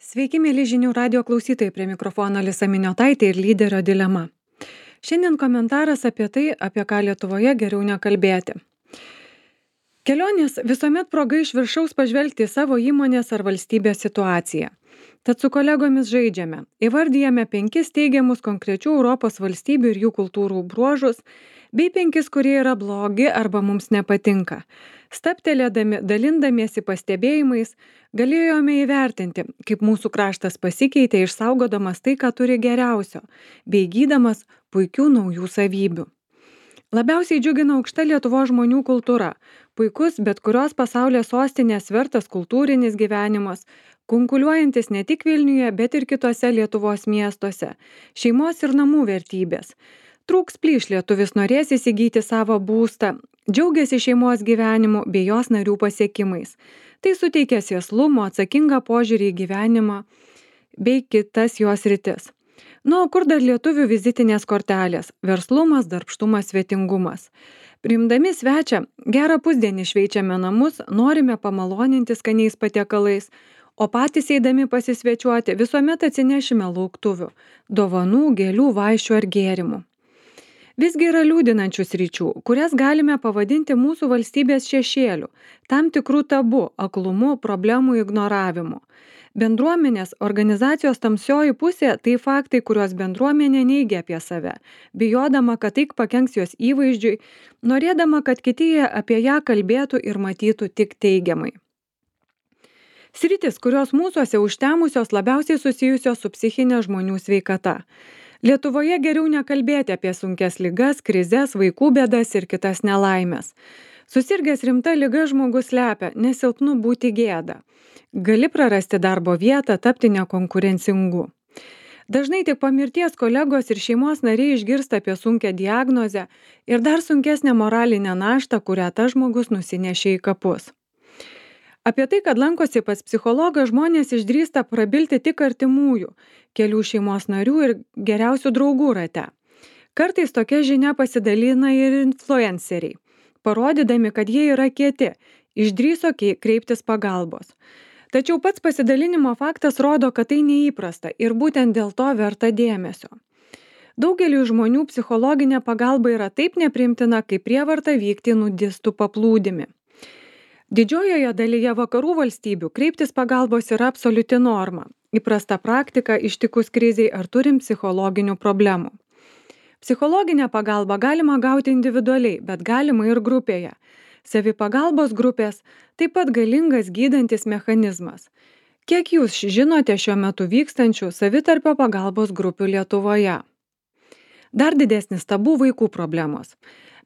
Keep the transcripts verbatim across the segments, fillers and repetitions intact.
Sveiki, mėly žinių radio klausytojai, prie mikrofono Alisa Miniotaitė ir lyderio dilema. Šiandien komentaras apie tai, apie ką Lietuvoje geriau nekalbėti. Kelionės visuomet proga iš viršaus pažvelgti į savo įmonės ar valstybės situaciją. Tad su kolegomis žaidžiame. Įvardyjame penkis teigiamus konkrečių Europos valstybių ir jų kultūrų bruožus, bei penkis, kurie yra blogi arba mums nepatinka. Staptelėdami, dalindamiesi pastebėjimais, galėjome įvertinti, kaip mūsų kraštas pasikeitė išsaugodamas tai, ką turi geriausio, bei įgydamas puikių naujų savybių. Labiausiai džiugina aukšta Lietuvos žmonių kultūra, puikus bet kurios pasaulio sostinės vertas kultūrinis gyvenimas, kunkuliuojantis ne tik Vilniuje, bet ir kitose Lietuvos miestuose, šeimos ir namų vertybės. Trūks plyš lietuvis norės įsigyti savo būstą, džiaugiasi šeimos gyvenimu bei jos narių pasiekimais. Tai suteikia sėslumo, atsakingą požiūrį į gyvenimą bei kitas jos rytis. Nu, o kur dar lietuvių vizitinės kortelės? Verslumas, darbštumas, svetingumas. Priimdami svečią, gerą pusdienį šveičiame namus, norime pamaloninti skaniais patiekalais, o patys eidami pasisvečiuoti visuomet atsinešime lauktuvių, dovanų, gėlių, vaišių ar gėrimų. Visgi yra liūdinančių sričių, kurias galime pavadinti mūsų valstybės šešėliu, tam tikrų tabu, aklumu, problemų ignoravimu. Bendruomenės, organizacijos tamsioji pusė – tai faktai, kuriuos bendruomenė neigia apie save, bijodama, kad tai pakenks jos įvaizdžiui, norėdama, kad kiti apie ją kalbėtų ir matytų tik teigiamai. Sritis, kurios mūsuose užtemusios labiausiai susijusios su psichinė žmonių sveikata. Lietuvoje geriau nekalbėti apie sunkias ligas, krizes, vaikų bėdas ir kitas nelaimės. Susirgęs rimta liga žmogus slepia, nes silpnu būti gėda. Gali prarasti darbo vietą, tapti nekonkurencingu. Dažnai tik po mirties kolegos ir šeimos nariai išgirsta apie sunkią diagnozę ir dar sunkesnę moralinę naštą, kurią tas žmogus nusinešė į kapus. Apie tai, kad lankosi pas psichologą, žmonės išdrįsta prabilti tik artimųjų, kelių šeimos narių ir geriausių draugų rate. Kartais tokia žinia pasidalina ir influenceriai, parodydami, kad jie yra kieti, išdrįso kreiptis pagalbos. Tačiau pats pasidalinimo faktas rodo, kad tai neįprasta ir būtent dėl to verta dėmesio. Daugeliui žmonių psichologinė pagalba yra taip nepriimtina, kaip prievarta vykti nudistų paplūdimi. Didžiojoje dalyje vakarų valstybių kreiptis pagalbos yra absoliuti norma, įprasta praktika ištikus kriziai ar turim psichologinių problemų. Psichologinę pagalbą galima gauti individualiai, bet galima ir grupėje. Savipagalbos grupės taip pat galingas gydantis mechanizmas. Kiek jūs žinote šiuo metu vykstančių savitarpio pagalbos grupių Lietuvoje? Dar didesnis tabu vaikų problemos.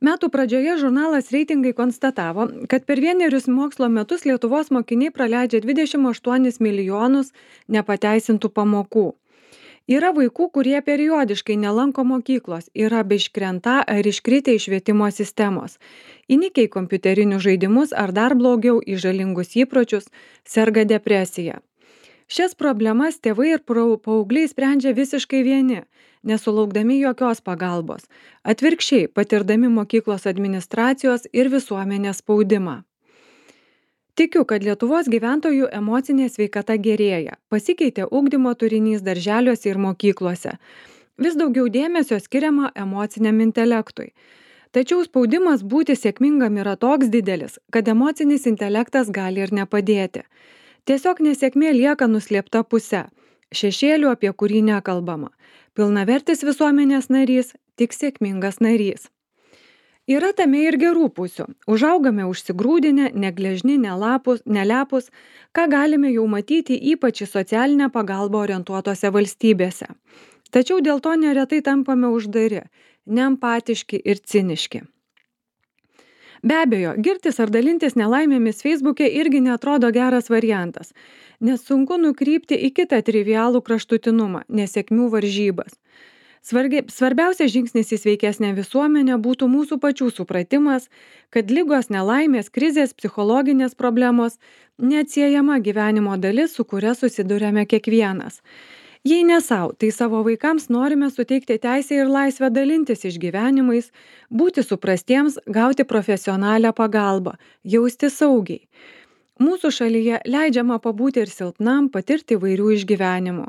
Metų pradžioje žurnalas Reitingai konstatavo, kad per vienerius mokslo metus Lietuvos mokiniai praleidžia dvidešimt aštuonis milijonus nepateisintų pamokų. Yra vaikų, kurie periodiškai nelanko mokyklos, yra beiškrenta ar iškritę iš švietimo sistemos, įnikę į kompiuterinius žaidimus ar dar blogiau į žalingus įpročius, serga depresija. Šias problemas tėvai ir paaugliai sprendžia visiškai vieni, nesulaukdami jokios pagalbos, atvirkščiai patirdami mokyklos administracijos ir visuomenės spaudimą. Tikiu, kad Lietuvos gyventojų emocinė sveikata gerėja, pasikeitė ugdymo turinys darželiuose ir mokyklose. Vis daugiau dėmesio skiriama emociniam intelektui. Tačiau spaudimas būti sėkmingam yra toks didelis, kad emocinis intelektas gali ir nepadėti. Tiesiog nesėkmė lieka nuslėpta puse, šešėlių, apie kurį nekalbama. Pilnavertis visuomenės narys, tik sėkmingas narys. Yra tame ir gerų pusių. Užaugame užsigrūdinę, negležni, nelapus, nelepus, ką galime jau matyti ypač į socialinę pagalbą orientuotose valstybėse. Tačiau dėl to neretai tampame uždari, neempatiški ir ciniški. Be abejo, girtis ar dalintis nelaimėmis Facebook'e irgi neatrodo geras variantas, nes sunku nukrypti į kitą trivialų kraštutinumą, nesėkmių varžybas. Svargi, svarbiausias žingsnis į sveikesnę visuomenę būtų mūsų pačių supratimas, kad ligos, nelaimės, krizės, psichologinės problemos neatsiejama gyvenimo dalis, su kuria susiduriame kiekvienas. Jei ne savo, tai savo vaikams norime suteikti teisę ir laisvę dalintis išgyvenimais, būti suprastiems, gauti profesionalią pagalbą, jausti saugiai. Mūsų šalyje leidžiama pabūti ir silpnam, patirti įvairių išgyvenimų.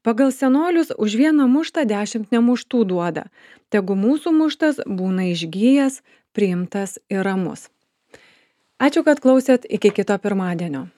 Pagal senolius už vieną muštą dešimt nemuštų duoda. Tegu mūsų muštas būna išgyjęs, priimtas ir ramus. Ačiū, kad klausėt, iki kito pirmadienio.